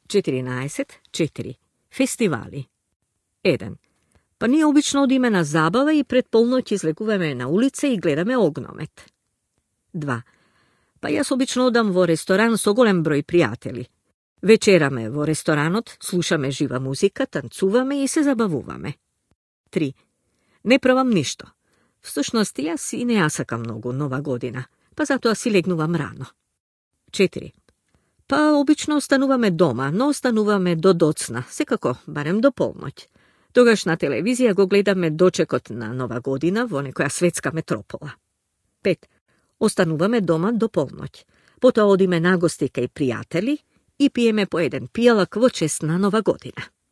14.4. Фестивали. 1. Па ние обично одиме на забава и пред полноќ излегуваме на улица и гледаме огномет. 2. Па јас обично одам во ресторан со голем број пријатели. Вечераме во ресторанот, слушаме жива музика, танцуваме и се забавуваме. 3. Не правам ништо. Всушност, јас и не ја сакам многу нова година, па затоа си легнувам рано. 4. Па обично остануваме дома, но остануваме до доцна, секако, барем до полноќ. Тогаш на телевизија го гледаме дочекот на нова година во некоја светска метропола. 5. Остануваме дома до полноќ. Потоа одиме на гости кај пријатели и пиеме по еден пијалак во чест на нова година.